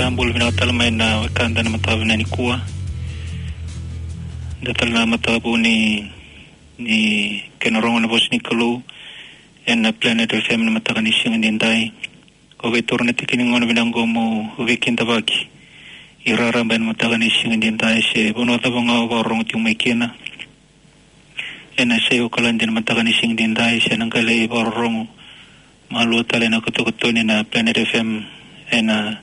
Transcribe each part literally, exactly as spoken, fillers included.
Na bula vinaka tale mai na wekada na mataka vinaka nikua. Da tale na mataka vou ni, ni kena rogo na vosa ni Kalou ena Planet F M na mataka ni siga ni dai. Ko vei toro na tiki ni gauna vinaka oqo mo veikidavaki. I raraba ena mataka ni siga ni dai se vanua cava ga o vakarorogo tiko mai kina. Ena se Okaladi ena mataka ni siga ni dai se na qai lai vakarorogo malua tale ena kotokotoni na Planet F M ena,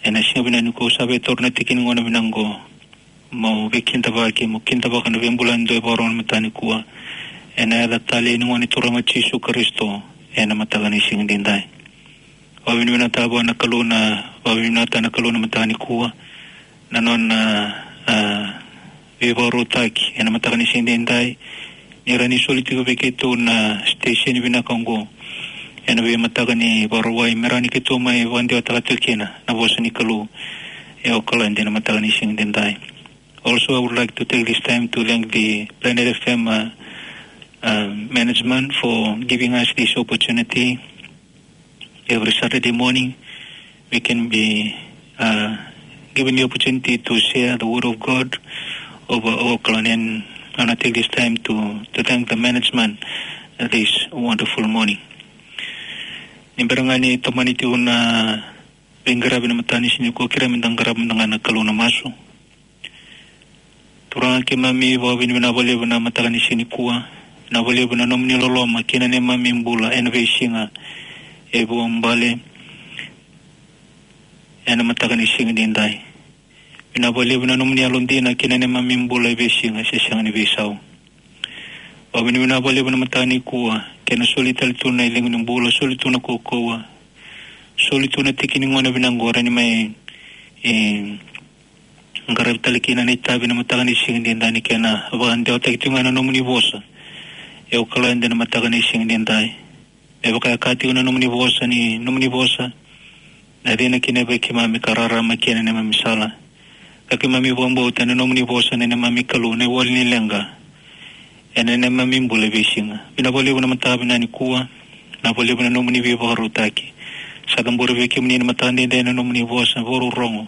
ena siga vinaka nikua. Au sa vei toro na tiki ni gauna vinaka oqo mo veikidavaki, mo kidavaka na veibula ni dua e vakarorogo ena mataka nikua. Ena yaca talei ni Gone Turaga o Jisu Karisito ena mataka ni siga ni dai. Vakavinavinaka vua na Kalou na, vakavinavinaka na Kalou na mataka nikua. Na nona, a, veivakarautaki ena mataka ni siga ni dai. Ni rawa ni soli tiko vei keitou na station vinaka oqo ena veimataka ni Vakarauwai me rawa ni keitou mai vakadewataka tiko kina na vosa ni Kalou e Okaladi ena mataka ni siga ni dai. Also, I would like to take this time to thank the Planet F M, uh, uh, management for giving us this opportunity. Every Saturday morning, we can be, uh, given the opportunity to share the word of God over Oakland. And I wanna take this time to, to thank the management of this wonderful morning. Ni bera ga ni tomani tiko na veiqaravi na mataka ni siga nikua, kerea meda qarava mada ga na Kalou na masu. Turaga keimami, vakavinavinaka vakalevu na mataka ni siga nikua. Vinaka vakalevu na nomuni loloma kei na neimami bula ena veisiga e vuabale ena mataka ni siga ni dai. Vinaka vakalevu na nomuni yalodina kei na neimami bula e veisiga se sega ni veisau. Vakavinavinaka vakalevu na mataka nikua, kena soli tale tu na iliga ni bula, soli tu na kaukauwa, soli tu na tiki ni gauna vinaka oqo, rawa ni mai, e, qaravi tale kina na itavi na mataka ni siga ni dai, ni kena vakadewataki tiko ga na nomuni vosa e Okaladi na mataka ni siga ni dai. Me vaka e kaya tiko na nomuni vosa, ni nomuni vosa na cina kina vei keimami ka rarama kina neimami sala. Ka keimami vakabauta na nomuni vosa na neimami Kalou, na iwali ni leqa ena neimami bula e veisiga. Vinaka vakalevu na mataka vinaka nikua. Vinaka vakalevu na nomuni veivakarautaki. Sa cabori vei kemuni na mataka ni dai na nomuni vosa vakarorogo.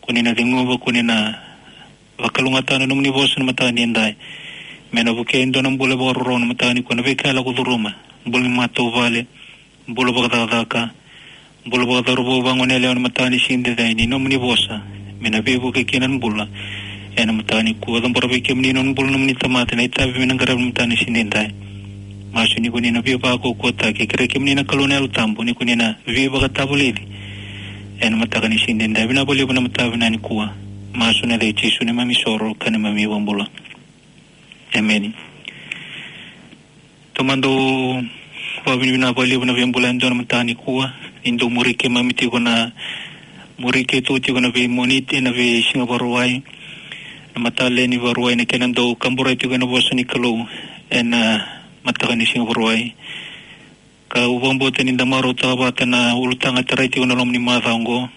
Ko ni na ceguva, ko ni na vakalougatataka na nomuni vosa na mataka ni dai. Me na vukei e dua na bula vakarorogo na mataka nikua, na veika e lako curuma, bula ni matavuvale, bula vakacakacaka, bula vakacauravou, vagone yalewa na mataka ni siga ni dai, ni nomuni vosa me na veivuke kina na bula ena mataka nikua. Cabora vei kemuni na nona bula na nomuni tamata, na itavi me na qaravi na mataka ni siga ni dai. Masu ni ko ni na veivakaukauwataki, kerei kemuni na Kalou na Yalo Tabu ni ko ni na veivakatavulici ena mataka ni siga ni dai. Vinaka vakalevu na mataka vinaka nikua. Masu ena yaca i Jisu neimami isoro ka neimami iVakabula. Emeni. Taumada, vakavinavinaka vakalevu na veibula yadua na mataka nikua. Ni dau muri keimami tiko na, muri keitou tiko na veiMoniti, na veisiga Vakarauwai, na mataka lailai ni Vakarauwai, na kena dau kaburaki tiko ena vosa ni Kalou ena mataka ni siga Vakarauwai. Kau vakabauta ni da marautaka vata na ulutaga e tarai tiko na loma ni macawa oqo,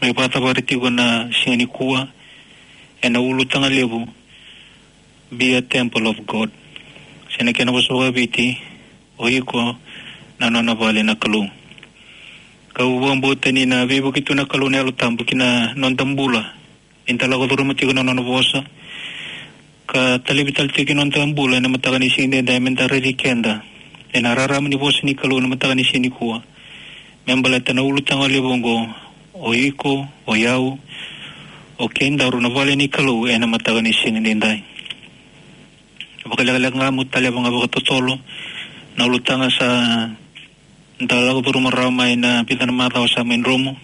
mai vakacavari tiko na siga nikua ena ulutaga levu, Be a Temple of God. Se na kena vosa vakaViti, o iko na nona vale na Kalou. Kau vakabauta ni na veivuke tu na Kalou na Yalo Tabu ki na noda bula, ni da lako curuma tiko na nona vosa, ka talevi tale tiko ki na noda bula ena mataka ni siga ni dai, me da raici keda ena rarama ni vosa ni Kalou na mataka ni siga nikua. Me baleta na ulutaga levu oqo, o iko, o yau, o keidaru na vale ni Kalou ena mataka ni siga ni dai. Vakalekaleka ga meu taleva ga vakatotolo na ulutaga sa da lako curuma rawa mai na vica na macawa sa mai dromu.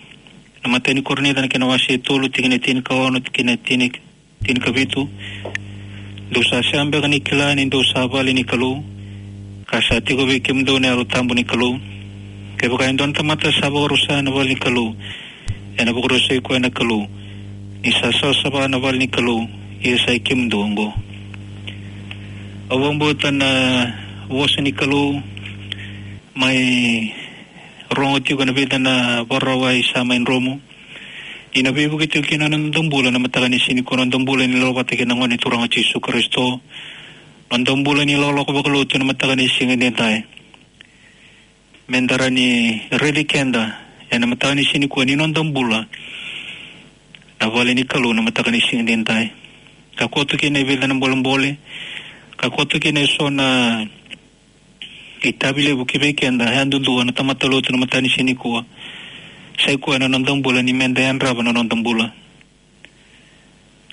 Na imatai ni Korinica na kena wase e tolu, tikina e tinikaono kei na tini, tinikavitu. Dou sa sega beka ni kila ni dou sa vale ni Kalou, ka sa tiko vei kemudou na Yalo Tabu ni Kalou? Kevaka e dua na tamata sa vakarusa na vale ni Kalou, ena vakarusai koya na Kalou, ni sa savasava na vale ni Kalou, ia sa i kemudou oqo. Au vakabauta na vosa ni Kalou mai rogo tiko ena vica na Vakarauwai sa mai dromu, ni na veivuke tiko kina na noda bula na mataka ni siga nikua, na noda bula ni lako vata kei na Gone Turaga o Jisu Karisito, na noda bula ni lakolako vakalotu na mataka ni siga ni dai. Me da rawa ni raici keda ena mataka ni siga nikua ni noda bula na vale ni Kalou na mataka ni siga edaidai. Ka koto kina e vica na bolebole, ka koto kina e so na itavi levu ki vei keda yadudua na tamata lotu na mataka ni siga nikua. Sa i koya na noda bula ni meda yadrava na noda bula.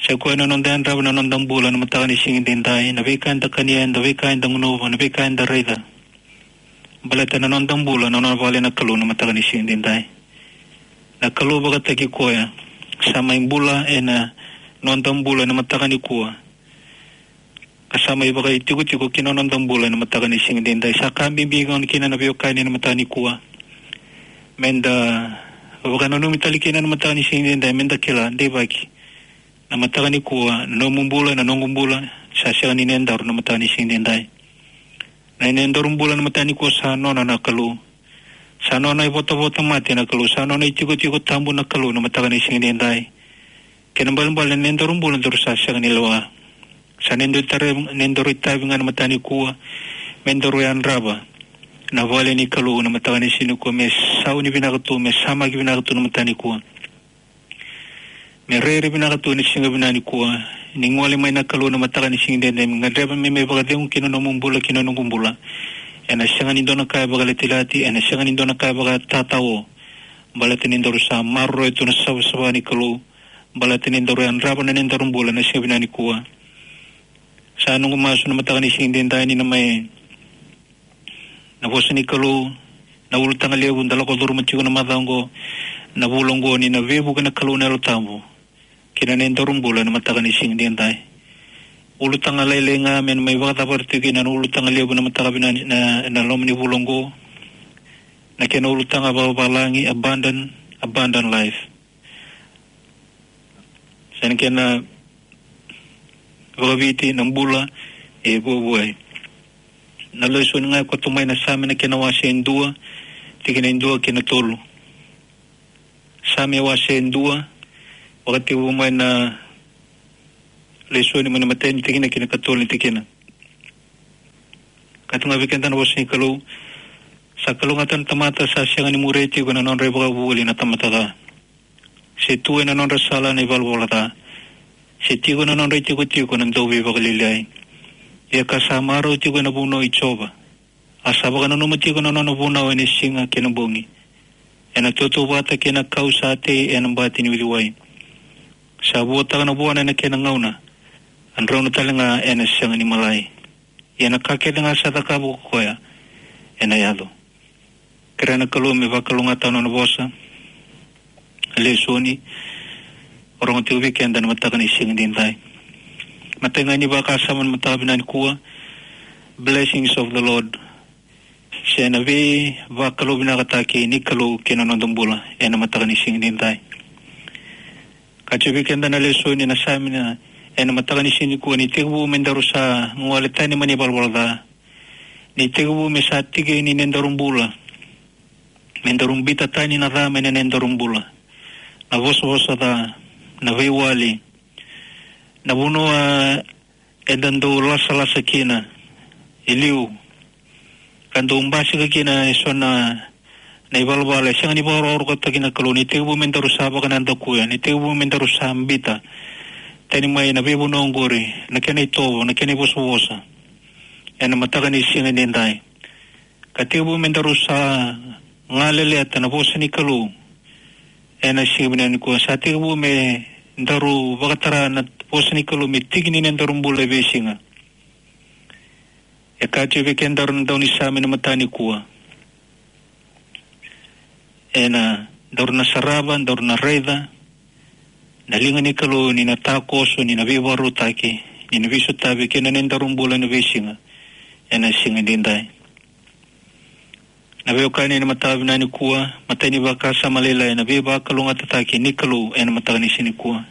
Sa i koya na noda yadrava na noda bula na mataka ni siga edaidai, na veika eda kania, na veika eda gunuva, na veika eda raica. Baleta na noda bula na nona vale na Kalou na mataka ni siga edaidai. Na Kalou vakataki koya sa mai bula ena noda bula na mataka nikua, ka sa mai vakaitikotiko ki na noda bula na mataka ni siga edaidai. Sa ka bibi gona kina na veiwekani na mataka nikua, meda vakananumi tale kina na mataka ni siga edaidai, meda kila deivaki na mataka nikua, na nomu bula, na noqu bula, sa sega ni nodaru na mataka ni siga edaidai. Na nodaru bula na mataka nikua sa nona na Kalou. Sa nona ivotavota mate na Kalou, sa nona itikotiko tabu na Kalou na mataka ni siga edaidai. Kena ibalebale na nodaru bula daru sa sega ni lewa. Sa nodaru tara, nodaru itavi ga na mataka nikua, me daru yadrava na vale ni Kalou na mataka ni siga nikua, me sauni vinaka tu, me samaki vinaka tu na mataka nikua. Me rairai vinaka tu ena siga vinaka nikua, ni gole mai na Kalou na mataka ni siga edaidai, me gadreva me mai vakacegu ki na nomu bula, ki na noqu bula. Ena sega ni dua na ka e vakalatilati, ena sega ni dua na ka e vakatatao. Baleta ni daru sa maroroya tu na savasava ni Kalou. Baleta ni daru yadrava na nodaru bula ena siga vinaka nikua. Sa noqu masu na mataka ni siga edaidai ni na mai na vosa ni Kalou, na ulutaga levu da lako curuma tiko na macawa oqo, na vula oqo, ni na veivuke na Kalou na Yalo Tabu ki na nodaru bula na mataka ni siga edaidai. Ulutaga lailai ga me na mai vakacavari tiko kina na ulutaga levu na mataka vinaka ni, na, na loma ni vula oqo. Na kena ulutaga vakavalagi, abundant, abundant life. Sa na kena vakaviti na bula e vuavuai. Na lesoni ga e koto mai na Same na kena wase e dua, tikina e dua kei na tolu. Same wase e dua, vakatekivu mai na lesoni mai na imatai ni tikina kei na ikatolu ni tikina. Ka tukuna vei keda na vosa ni Kalou, sa kalougata na tamata sa sega ni muria tiko na nodra ivakavuvuli na tamata ca, se tu ena nodra sala na ivalavala ca, se tiko ena nodra itikotiko na dauveivakalialiai. Ia ka sa marau tiko ena vunau i Jiova, a sa vakananuma tiko na nona vunau ena siga kei na bogi, ena tautauvata kei na kau sa tei ena bati ni uciwai. Sa vuataka na vuana ena kena gauna, a drauna tale ga ena sega ni malai. Ia na ka kece ga sa cakava ko koya ena yaco. Kerea na Kalou me vakalougatataka na nona vosa, lesoni o rogo tiko vei keda na mataka ni siga edaidai. Matai ga ni vakasama na mataka vinaka nikua, blessings of the Lord. Se na veivakalouvinakataki ni Kalou ki na noda bula ena mataka ni siga edaidai. Ka tukuna vei keda na lesoni na Same ena mataka ni siga nikua, ni tekivu me daru sa gole tani mai na ivalavala ca, ni tekivu me sa tiki ni nodaru bula, me daru biuta tani na ca mai na nodaru bula. Na vosavosa ca, na veiwali, na vanua eda dau lasalasa kina e liu, ka dau basika kina e so na, na ivalavala e sega ni vakarokorokotaki na Kalou. Ni tekivu me daru sa vakanadakuya, ni tekivu me daru sa biuta tani mai na veivanua oqori na kena itovo, na kena ivosavosa ena mataka ni siga edaidai. Ka tekivu me daru sa galeleta na vosa ni Kalou ena siga vinaka nikua. Sa tekivu me daru vakatara na vosa ni Kalou me tiki ni nodaru bula e veisiga. E kaya tiko vei kedaru na daunisame ena mataka nikua, ena daru na sarava, daru na raica na liga ni Kalou, ni na takoso, ni na veivakarautaki, ni na veisotavi kei na nodaru bula ena veisiga, ena siga edaidai. Na veiwekani ena mataka vinaka nikua, matai ni vakasama lailai na veivakalougatataki ni Kalou ena mataka ni siga nikua.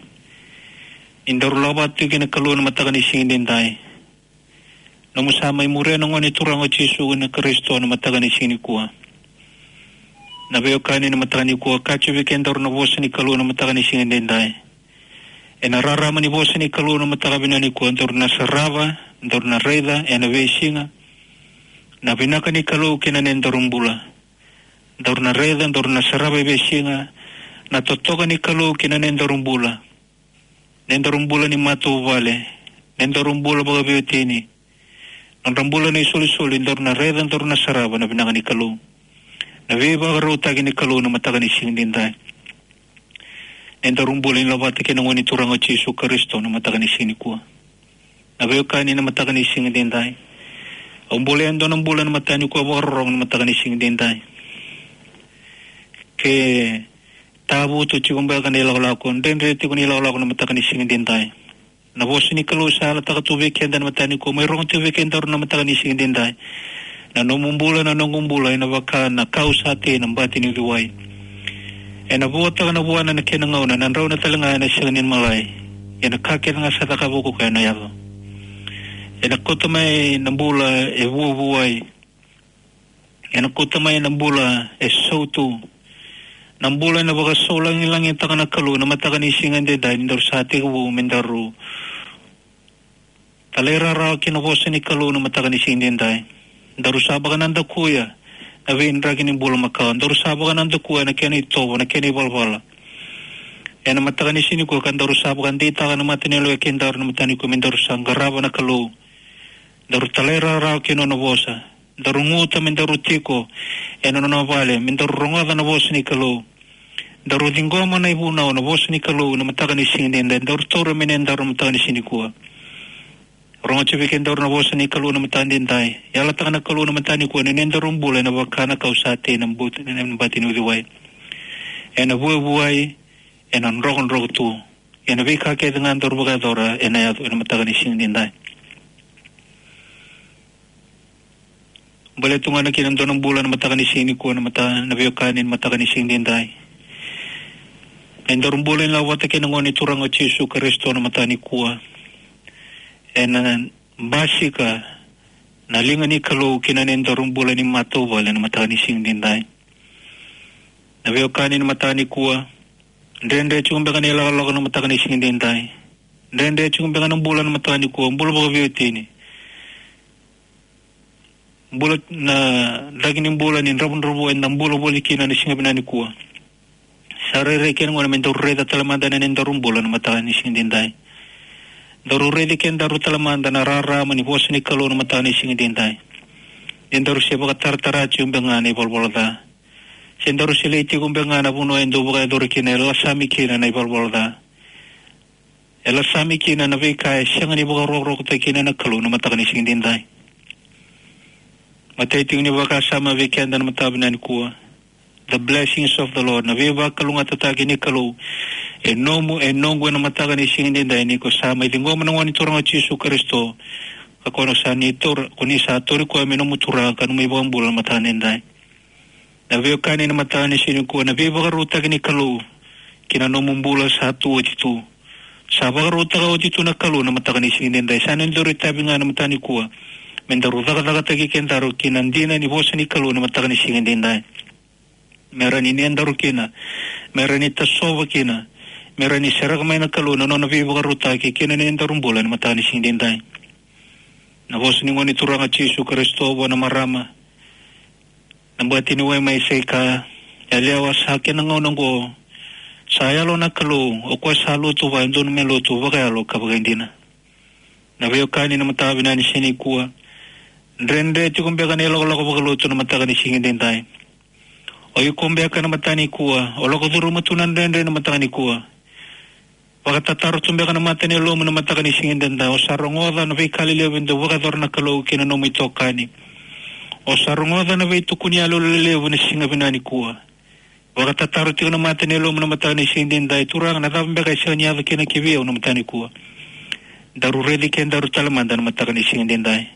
Ni daru lako vata tiko kei na Kalou ena mataka ni siga edaidai. Nomu sa mai muria na Gone Turaga o Jisu na Karisito ena mataka ni siga nikua. Na veiwekani ena mataka nikua, kaya tiko vei kedaru na vosa ni Kalou ena mataka ni siga edaidai. Ena rarama ni vosa ni Kalou ena mataka vinaka nikua, daru na sarava, daru na raica ena veisiga na vinaka ni Kalou kei na nodaru bula. Daru na raica, daru na sarava e veisiga Na totoka ni Kalou ki na nedaru bula. Nedaru bula ni matavuvale. Nedaru bula vakaveiwatini. Nodra bula na isolisoli, daru na raica, daru na sarava na vinaka ni Kalou. Na veivakarautaki ni Kalou na mataka ni siga edaidai. Nedaru bula ni lavata kei na Gone Turaga o Jisu Karisito na mataka ni siga nikua. Na veiwekani na mataka ni siga edaidai. Au bula e dua na bula na mataka nikua vakarorogo na mataka ni siga edaidai. Ke tavutu tiko beka na ilakolako, dredre tiko na ilakolako na mataka ni siga edaidai. Na vosa ni Kalou sa yalataka tu vei keda na mataka nikua, mai rogo tiko vei kedaru na mataka ni siga edaidai. Na nomu bula, na noqu bula, ena vaka na kau sa tei na bati ni uciwai. Ena vuataka na vuana na kena gauna, na drauna tale ga ena sega ni malai. Ia na ka kece ga sa cakava o koya ena yaco. Ena kauta mai na bula e vuavuai. Ena kauta mai na bula e sautu. Na bula ena vakasaulagilagitaka na Kalou na mataka ni siga edaidai, ni daru sa tekivu me daru talairawarawa ki na vosa ni Kalou na mataka ni siga edaidai. Daru sa vakanadakuya na veidraki ni bula makawa. Daru sa vakanadakuya na kena itovo, na kena ivalavala. Ena mataka ni siga nikua ka daru sa vakadeitaka na mata ni yalo e kedaru na mataka nikua me daru sa qarava na Kalou. Daru talairawarawa ki na nona vosa. Daru guta me daru tiko ena nona vale, me daru rogoca na vosa ni Kalou. Daru ciqoma na ivunau na vosa ni Kalou na mataka ni siga edaidai, daru taura me nedaru na mataka ni siga nikua. Rogoca vei kedaru na vosa ni Kalou na mataka edaidai. Yalataka na Kalou na mataka nikua ni nedaru bula ena vaka na kau sa tei na bati, na bati ni uciwai. Ena vuavuai, ena drokadroka tu. Ena veika kece ga daru vakayacora ena yaco ena mataka ni siga edaidai. Baleta tu ga na kena dua na bula na mataka ni siga nikua, na mata, na veiwekani na mataka ni siga edaidai. Nedaru bula ni lavata kei na Gone Turaga o Jisu Karisito na mataka nikua. Ena basika na liga ni Kalou ki na nedaru bula ni matavuvale na mataka ni siga edaidai. Na veiwekani na mataka nikua. Dredre tiko beka na ilakolako na mataka ni siga edaidai. Dredre tiko beka na bula na mataka nikua, bula vakaveiwatini. Bula na draki ni bula ni dravudravua eda bula voli kina na siga vinaka nikua. Sa rairai kena gauna me daru raica tale mada na nedaru bula na mataka ni siga edaidai. Daru raici kedaru tale mada na rarama ni vosa ni Kalou na mataka ni siga edaidai. Ni daru se vakataratara tiko beka ga na ivalavala ca. Se daru se lai tiko beka ga na vanua e dau vakayacori kina, e lasami kina na ivalavala ca. E lasami kina na veika e sega ni vakarokorokotaki kina na Kalou na mataka ni siga edaidai. Matai tiko ni vakasama vei keda na mataka vinaka nikua. The blessings of the Lord. Na veivakalougatataki ni Kalou. E nomu, e noqu ena mataka ni siga edaidai ni ko sa mai ciqoma na Gone Turaga o Jisu Karisito. Ka ko na sa ni taura, ko ni sa tauri koya me nomu Turaga ka nomu iVakabula na mataka edaidai. Na veiwekani na mataka ni siga nikua, na veivakarautaki ni Kalou ki na nomu bula sa tu oti tu. Sa vakarautaka oti tu na Kalou na mataka ni siga edaidai. Sa na daru itavi ga na mataka nikua me daru cakacakataki kedaru ki na dina ni vosa ni Kalou na mataka ni siga edaidai. Me rawa ni nedaru kina, me rawa ni tasova kina, me rawa ni sereka mai na Kalou na nona veivakarautaki ki na nedaru bula na mataka ni siga edaidai. Na vosa ni Gone Turaga Jisu Karisito vua na marama. Na bati ni wai mai Saika, yalewa, sa kena gauna oqo. Sa yalo na Kalou, o koya sa lotu vua e dodonu me lotu vakayalo ka vakaidina. Na veiwekani na mataka vinaka ni siga nikua. Dredre tiko beka na ilakolako vakalotu na mataka ni siga edaidai. O iko beka na mataka nikua, o lako curuma tu na dredre na mataka nikua. Vakatataro tu beka na mata ni yalomu na mataka ni siga edaidai. O sa rogoca na veika lelevu e dau vakayacora na Kalou ki na nomu itokani. O sa rogoca na veitukuni yalo lelevu na siga vinaka nikua. Vakatataro tiko na mata ni yalomu na mataka ni siga edaidai. Turaga, na cava beka e sega ni yaco kina ki vei au na mataka nikua. Daru raici kedaru tale mada na mataka ni siga edaidai.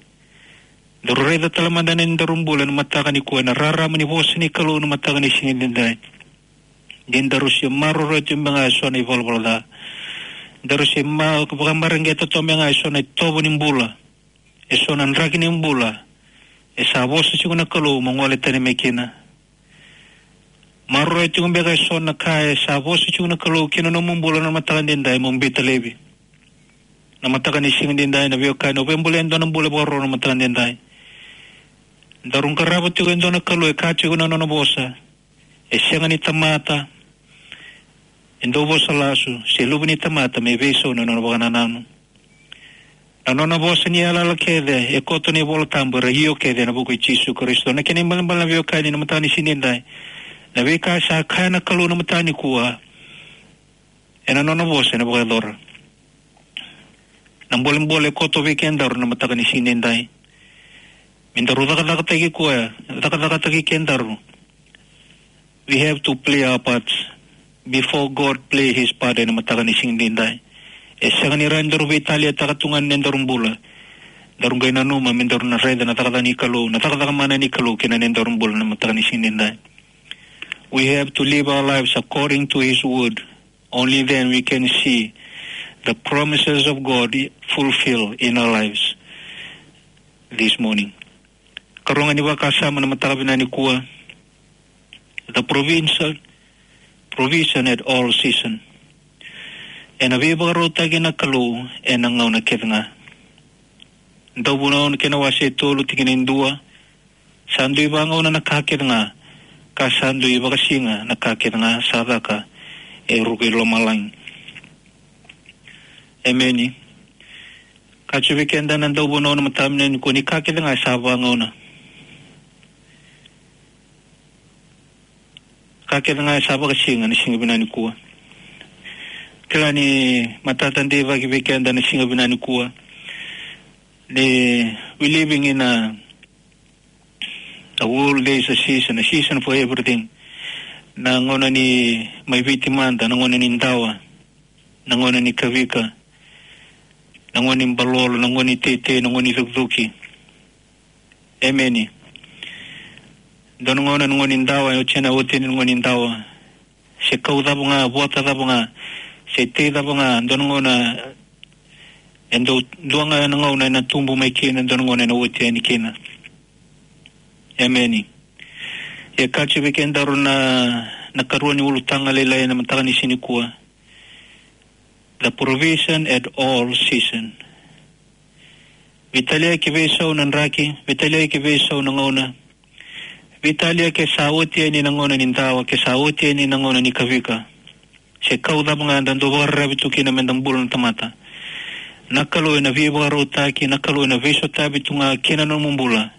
Daru raica tale mada na nedaru bula na mataka nikua, na rarama ni vosa ni Kalou na mataka ni siga edaidai. Ni daru se maroroya tu beka ga e so na ivalavala ca. Daru se ma, vakamareqeta tu beka ga e so na itovo ni bula. E so na draki ni bula. E sa vosa tiko na Kalou mo gole tani mai kina. Maroroya tiko beka e so na ka e sa vosa tiko na Kalou ki na nomu bula na mataka edaidai mo biuta laivi. Na mataka ni siga edaidai na veiwekani, o via bula e dua na bula vakaroro na mataka edaidai. Daru qarava tiko e dua na Kalou e kaya tiko na nona vosa. E sega ni tamata. e dau vosa lasu, se luve ni tamata me veisau na nona vakanananu. Na nona vosa ni yalayala kece, e koto na iVola Tabu, era io kece ena vuku i Jisu Karisito. Na kena ibalebale na veiwekani ena mataka ni siga edaidai, na veika sa kaya na Kalou ena mataka nikua, ena nona vosa ena vakayacora. Na bolebole e koto vei kedaru ena mataka ni siga edaidai, me daru cakacakataki koya, cakacakataki kedaru. We have to play our parts before God play his part ena mataka ni siga edaidai. E sega ni rawa ni daru veitaliataka tu ga na nodaru bula. Daru qai nanuma me daru na raica na cakacaka ni Kalou, na cakacaka mana ni Kalou kei na nodaru bula ena mataka ni siga edaidai. We have to live our lives according to his word. Only then we can see the promises of God fulfill in our lives this morning. Karua ga ni vakasama ena mataka vinaka nikua, the provincial provision at all season. Ena veivakarautaki na Kalou ena gauna kece ga. Dauvunau na kena wase e tolu tikina e dua, sa dui vagauna na ka kece ga, ka sa dui vakasiga na ka kece ga sa caka e ruku i lomalagi. Emeni. Ka tu vei keda na dauvunau ena mataka vinaka nikua ni ka kece ga sa vagauna. Ka kece ga sa vakasiga ena siga vinaka nikua. Kila ni matata deivaki vei keda ena siga vinaka nikua. Ni we living in a, a world, there is a season, a season for everything. Na gauna ni mai Viti mada, na gauna ni dawa, na gauna ni kavika, na gauna ni balolo, na gauna ni teitei, na gauna ni cukicuki. Emeni. Dua na gauna na gauna ni dawa, e oti na, oti na gauna ni dawa. Se kau cava ga, vota cava ga, se tei cava ga, dua na gauna, e dua, dua ga na gauna ena tubu mai kina, dua na gauna ena oti yani kina. Emeni. E ka tu vei kedaru na, na karua ni ulutaga lailai ena mataka ni siga nikua. The provision at all season. Veitalia ke veisau na draki, veitalia ke veisau na gauna. Veitalia ke sa oti yani na gauna ni dawa, ke sa oti yani na gauna ni kavika. Se kau cava ga eda dau vakararavi tu kina meda bula na tamata. Na Kalou ena veivakarautaki, na Kalou ena veisotavi tu ga kina nomu bula.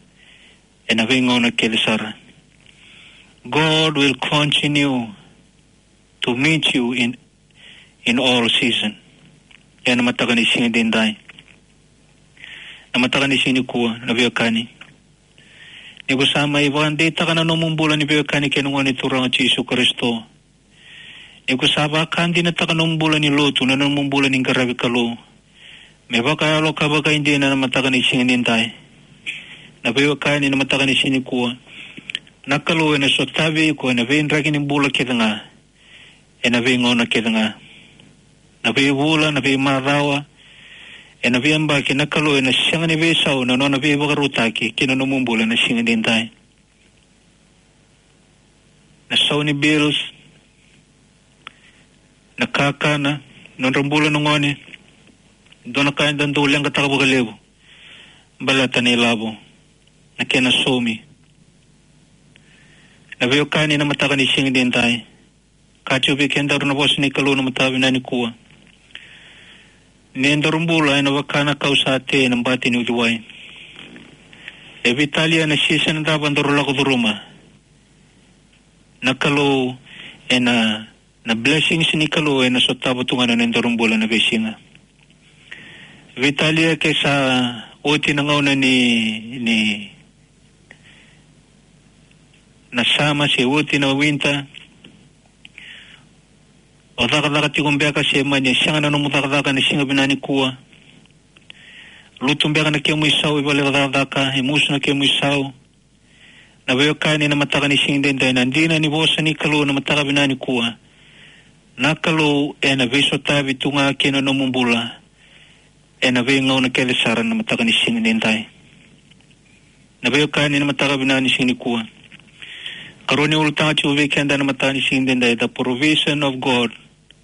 Ena veigauna kece sara. God will continue to meet you in, in all season. Ena mataka ni siga edaidai. Na mataka ni siga nikua, na veiwekani. Ni ko sa mai vakadeitaka na nomu bula ni veiwekani kei na Gone Turaga Jisu Karisito. Ni ko sa vakadinataka nomu bula ni lotu, na nomu bula ni qaravi Kalou. Me vakayalo ka vakaidina na mataka ni siga edaidai. Na veiwekani na mataka ni siga nikua. Na Kalou ena sotavi iko ena veidraki ni bula kece ga. Ena veigauna kece ga. Na veivula, na veimacawa. Ena veiyabaki na Kalou ena sega ni veisau na nona veivakarautaki kina nomu bula ena siga edaidai. Na sau ni bills, na kakana, nodra bula na gone, dua na ka eda dau leqataka vakalevu. Baleta na ilavo, na kena saumi. Na veiwekani na mataka ni siga edaidai. Ka tu vei kedaru na vosa ni Kalou na mataka vinaka nikua. Ni daru bula ena vaka na kau sa tei ena bati ni uciwai. E veitalia na season cava daru lako curuma. Na Kalou ena, na blessings ni Kalou ena sotava tu ga na nodaru bula na veisiga. Veitalia ke sa oti na gauna ni, ni na summer se oti na winter. O cakacaka tiko beka se mani e sega na nomu cakacaka ena siga vinaka nikua. Lutu beka na kemu isau i vale cakacaka, e musu na kemu isau. Na veiwekani na mataka ni siga edaidai, na dina ni vosa ni Kalou na mataka vinaka nikua. Na Kalou ena veisotavi tu ga kina nomu bula. Ena veigauna kece sara na mataka ni siga edaidai. Na veiwekani na mataka vinaka ni siga nikua. Karua ni ulutaga tiko vei keda na mataka ni siga edaidai, the provision of God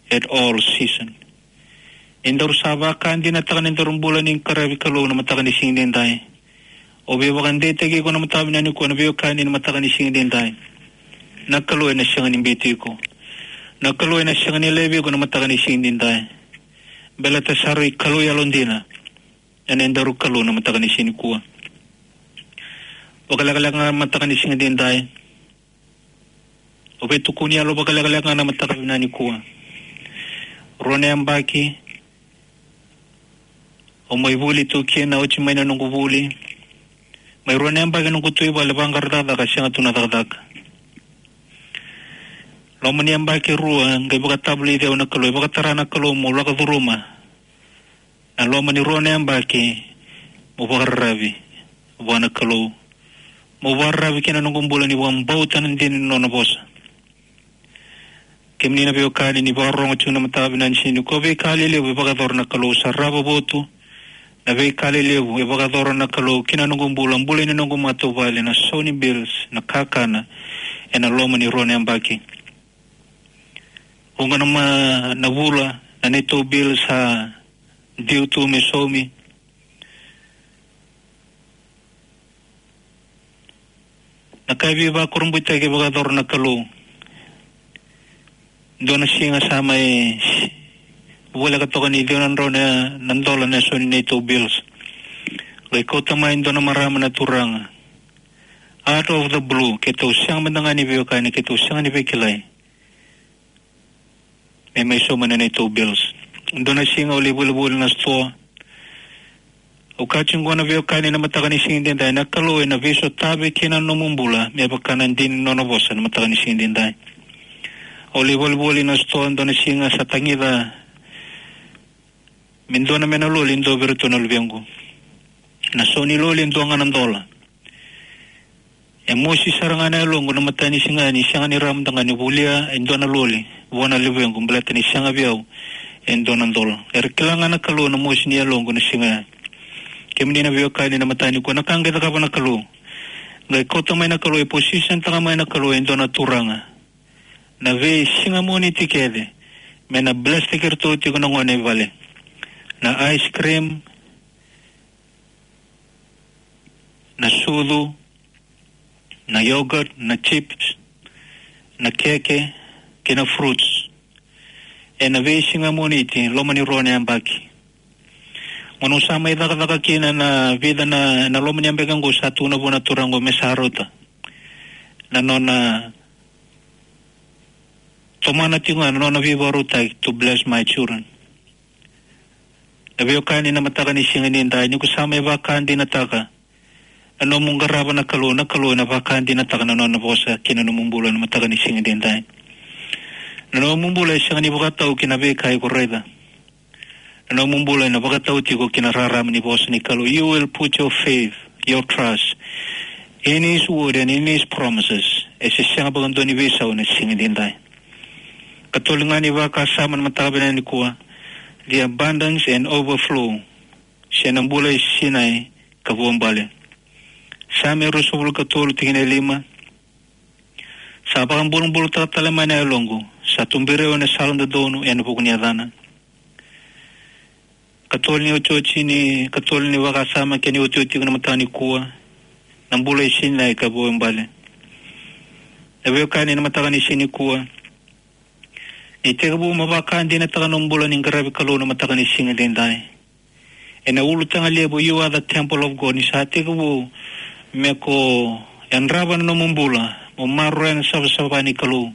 at all season. Ni daru sa vakadinataka na nodaru bula ni qaravi Kalou na mataka ni siga edaidai. O veivakadeitaki iko na mataka vinaka nikua, na veiwekani na mataka ni siga edaidai. Na Kalou ena sega ni biuti iko. Na Kalou ena sega ni laivi iko na mataka ni siga edaidai. Baleta sa rui Kalou yalodina. Ena daru Kalou na mataka ni siga nikua. Vakalekaleka ga na mataka ni siga edaidai. O veitukuni yalo vakalekaleka ga na mataka vinaka nikua. Rua na yabaki. O mai vuli tu kina, oti mai na noqu vuli. Mai rua na yabaki noqu tu i vale vaqara cakacaka, sega tu na cakacaka. Loma ni yabaki rua, qai vakatavulici au na Kalou, e vakatara na Kalou mo lako curuma. Na loma ni rua na yabaki, mo vakararavi vua na Kalou. Mo vakararavi kina noqu bula ni vakabauta na dina ni nona vosa. Kemuni na veiwekani ni vakarorogo tiko na mataka vinaka ni siga nikua, veika lelevu e vakayacora na Kalou, sa rava votu. Na veika lelevu e vakayacora na Kalou kina noqu bula, bula ni noqu matavuvale, na sau ni bills, na kakana, ena loma ni rua na yabaki. Vuqa na ma-, na vula, na neitou bills sa due tu me saumi. Na ka e veivakurabuitaki e vakayacora na Kalou. Dua na siga sa mai voleka toka ni ciwa na drau na, na dola na sau ni neitou bills. Qai kauta mai dua na marama na turaga. Out of the blue, keitou sega mada ga ni veiwekani, keitou sega ni veikilai. Me mai sauma na neitou bills. Dua na siga au lai volivoli na sitoa. Au kaya tiko qo na veiwekani na mataka ni siga edaidai, na Kalou ena veisotavi kina na nomu bula me vaka na dina ni nona vosa na mataka ni siga edaidai. Au lai volivoli na sitoa, dua na siga sa tagica me dua na mena loli e dua vei iratou na luvequ. Na sau ni loli e dua ga na dola. E mosi sara ga na yaloqu na mataka ni siga ni sega ni rawa mada ga ni volia e dua na loli vua na luvequ, baleta ni sega vei au e dua na dola. Era kila ga na Kalou na mosi ni yaloqu na siga ya. Kemuni na veiwekani na mataka nikua, na ka qai cakava na Kalou. Qai kauta mai na Kalou, e position taka mai na Kalou e dua na turaga. Na veisiga Moniti kece, me na bless taki iratou tiko na gone i vale. Na ice cream, na sucu, na yogurt, na chips, na keke, kei na fruits. Ena veisiga Moniti, loma ni rua na yabaki. Gauna au sa mai cakacaka kina na vica na, na loma ni yabaki qo sa tukuna vua na turaga qo me sa rauta. Na nona tomana tiko ga na nona veivakarautaki to bless my children. Na veiwekani na mataka ni siga edaidai, ni ko sa mai vakadinataka na nomu qarava na Kalou, na Kalou ena vakadinataka na nona vosa ki na nomu bula na mataka ni siga edaidai. Na nomu bula e sega ni vakatau ki na veika iko raica. Na nomu bula ena vakatau tiko ki na rarama ni vosa ni Kalou. You will put your faith, your trust in His word and in His promises. E se sega vakadua ni veisau na siga edaidai. Katolu ga ni vakasama na mataka vinaka nikua. The abundance and overflow. Se na bula e sinai ka vuabale. Same ruasagavulu katolu tikina e lima. Sa vakabulabulataka tale mai na yaloqu, sa tuberi au ena sala dodonu ena vuku ni yacana. Katolu ni otioti ni, katolu ni vakasama kei na iotioti tiko na mataka nikua. Na bula e sinai ka vuabale. Na veiwekani na mataka ni siga nikua. Ni tekivu mo vakadinataka na nomu bula ni qaravi Kalou na mataka ni siga edaidai. Ena ulutaga levu, you are the temple of God. Ni sa tekivu me ko yadrava na nomu bula, mo maroroya na savasava ni Kalou.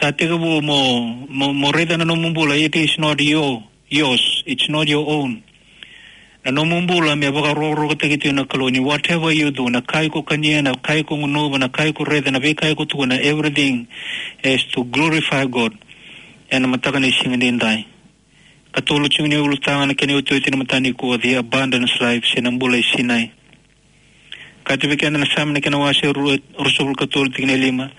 Sa tekivu mo, mo, mo raica na nomu bula, it is not your, yours, it's not your own. Na nomu bula me vakarokorokotaki tu na Kalou ni whatever you do, na ka iko kania, na ka iko gunuva, na ka iko raica, na veika iko tukuna, everything is to glorify God. Ena mataka ni siga edaidai. Katolu tiko ni ulutaga na kena iotioti na mataka nikua, the abundance life, se na bula e sinai. Kaya tu vei keda na Same na kena wase rua, ruasagavulu katolu tikina e lima.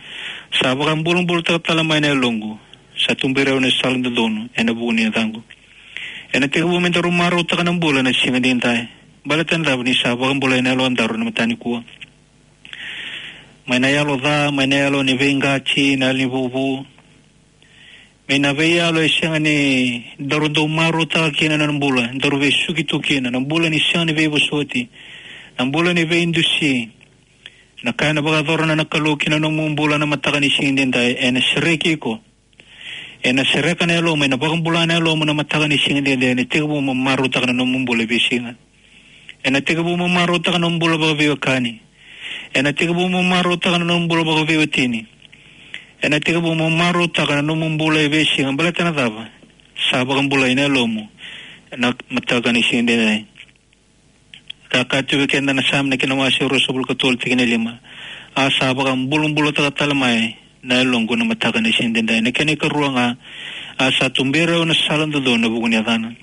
Sa vakabulabulataka tale mai na yaloqu. Sa tuberi au ena sala dodonu, ena vuku ni yacaqu. Ena tekivu me daru marautaka na bula na siga edaidai. Baleta na cava? Ni sa vakabulai na yalodaru na mataka nikua. Mai na yalo ca, mai na yalo ni veiqati, na yalo ni vuvu. Mai na veiyalo e sega ni daru dau marautaka kina na bula, daru veisuki tu kina, na bula ni sega ni veivosoti, na bula ni veidusi. Na ka ena vakayacora na Kalou ki na nomu bula na mataka ni siga edaidai, ena sereki iko. Ena sereka na yalomu, ena vakabula na yalomu na mataka ni siga edaidai, ena tekivu mo marautaka na nomu bula e veisiga. Ena tekivu mo marautaka na nomu bula vakaveiwekani. Ena tekivu mo marautaka na nomu bula vakaveiwatini. Ena tekivu mo marautaka na nomu bula e veisiga, baleta na cava? Sa vakabulai na yalomu na mataka ni siga edaidai. Ka kaya tu vei keda na Same na kena wase ruasagavulu ka tolu tikina e lima: A sa vakabulabulataka tale mai na yaloqu na mataka ni siga edaidai. Na kena ikarua ga, a sa tuberi au na sala dodonu ena vuku ni yacana.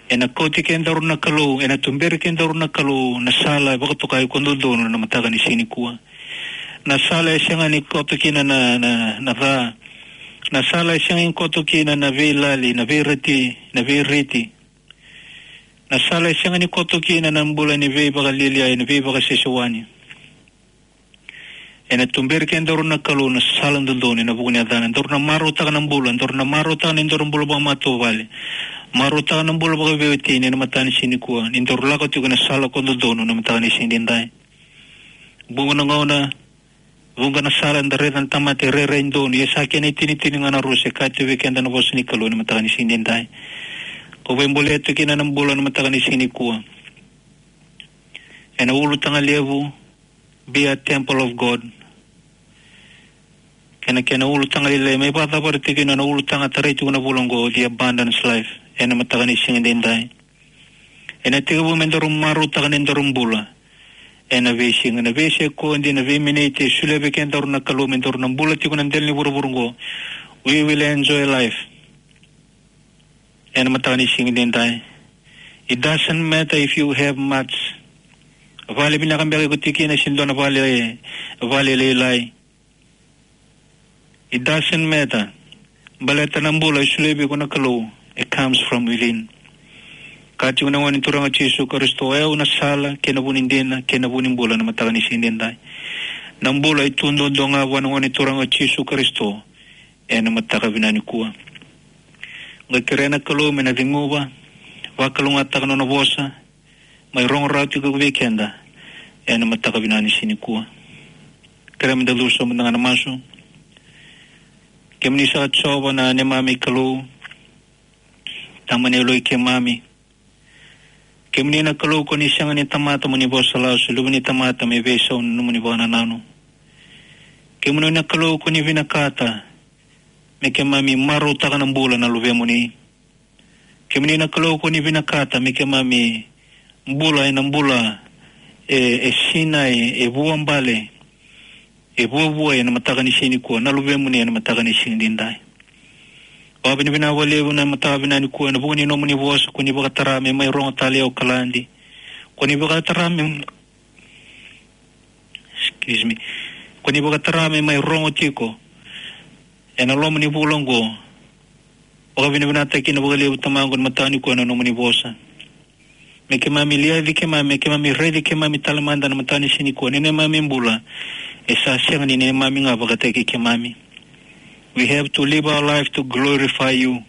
Ena kauti kedaru na Kalou, ena tuberi kedaru na Kalou na sala e vakatokai ko dodonu na mataka ni siga nikua. Na sala e sega ni koto kina na, na, na ca. Na sala e sega ni koto kina na veilali, na veireti, na veireti. Na sala e sega ni koto kina na bula ni veivakalialiai, ni veivakasesewani. Ena tuberi kedaru na Kalou na sala dodonu ena vuku ni yacana. Daru na marautaka na bula, daru na marautaka na nodaru bula vakamatavuvale, marautaka na bula vakaveiwatini ena mataka ni siga nikua, ni daru lako tiko ena sala ko dodonu na mataka ni siga edaidai. Vuqa na gauna, vuqa na sala eda raica na tamata e rairai donu, ia sa kena itinitini ga na rusa, e kaya tu vei keda na vosa ni Kalou ena mataka ni siga edaidai. Ko veibolea tu kina na bula ena mataka ni siga nikua. Ena ulutaga levu, be a temple of God. Kei na kena ulutaga lailai, me vakacavara tiko kina na ulutaga tarai tiko na vula oqo, the abundance life, ena mataka ni siga edaidai. Ena tekivu me daru marautaka na nodaru bula ena veisiga, na veisekodi, na veiminiti e solia vei kedaru na Kalou me daru na bula tiko ena dela ni vuravura oqo. We will enjoy life ena mataka ni siga edaidai. It doesn't matter if you have much. Vale vinaka beka iko tiko kina se dua na vale, vale lailai. It doesn't matter. Baleta na bula e solia vei iko na Kalou, it comes from within. Kaya tiko na Gone Turaga o Jisu Karisito, o au na sala, kei na vu ni dina, kei na vu ni bula ena mataka ni siga edaidai. Na bula e tu duadua ga vua na Gone Turaga o Jisu Karisito ena mataka vinaka nikua. Qai kerea na Kalou me na ceguva, vakalougatataka na nona vosa, mai rogo rawa tiko vei keda ena mataka vinaka ni siga nikua. Kerea me da cuva sobu mada ga ena masu. Kemuni saka Jiova na neimami Kalou, Tama ni yaloi keimami. Kemuni na Kalou ko ni sega ni tamata mo ni vosa lasu, luve ni tamata me veisau na nomuni vakanananu. Kemuni na Kalou ko ni vinakata me keimami marautaka na bula na luvemuni. Kemuni na Kalou ko ni vinakata me keimami bula ena bula e, e sinai, e vuabale, e vuavuai ena mataka ni siga nikua, na luvemuni ena mataka ni siga edaidai. Vakavinavinaka vakalevu ena mataka vinaka nikua ena vuku ni nomuni vosa ko ni vakatara me mai rogo tale o Kaladi. Ko ni vakatara me, excuse me, ko ni vakatara me mai rogo tiko ena loma ni vula oqo. Vakavinavinakataki kina vakalevu Tamaqu ena mataka nikua na nomuni vosa. Me keimami liaci keimami, me keimami raici keimami tale mada ena mataka ni siga nikua, ni neimami bula e sa sega ni neimami ga vakataki keimami. We have to live our life to glorify you.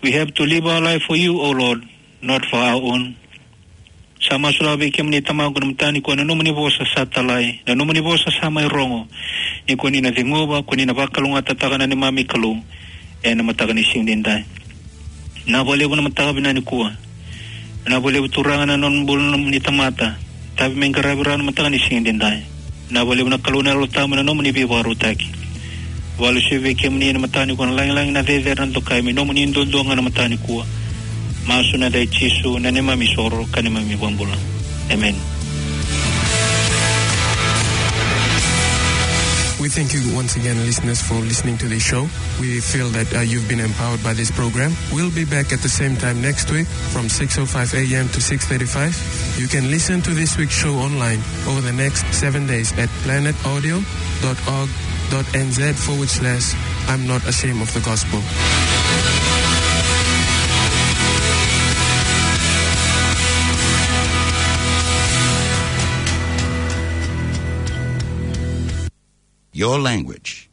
We have to live our life for you, O Lord, not for our own. Sa masulaka vei kemuni Tamaqu ena mataka nikua na nomuni vosa sa talai, na nomuni vosa sa mai rogo. Ni ko ni na ceguva, ko ni na vakalougatataka na neimami Kalou ena mataka ni siga edaidai. Vinaka vakalevu na mataka vinaka nikua. Vinaka vakalevu Turaga na nona bula na nomuni tamata. Tavi me qaravi rawa na mataka ni siga edaidai. Vinaka vakalevu na Kalou na Yalo Tabu na nomuni veivakarautaki. Vakalesuya vei kemuni ena mataka nikua na lagilagi, na cecere, na dokai me nomuni duadua ga na mataka nikua. Masu ena yaca i Jisu na neimami isoro ka neimami ivakabula. Amen. We thank you once again, listeners, for listening to this show. We feel that, uh, you've been empowered by this program. We'll be back at the same time next week from six oh five a m to six thirty-five. You can listen to this week's show online over the next seven days at planet audio dot org dot n z forward slash I'm not ashamed of the gospel. Your language.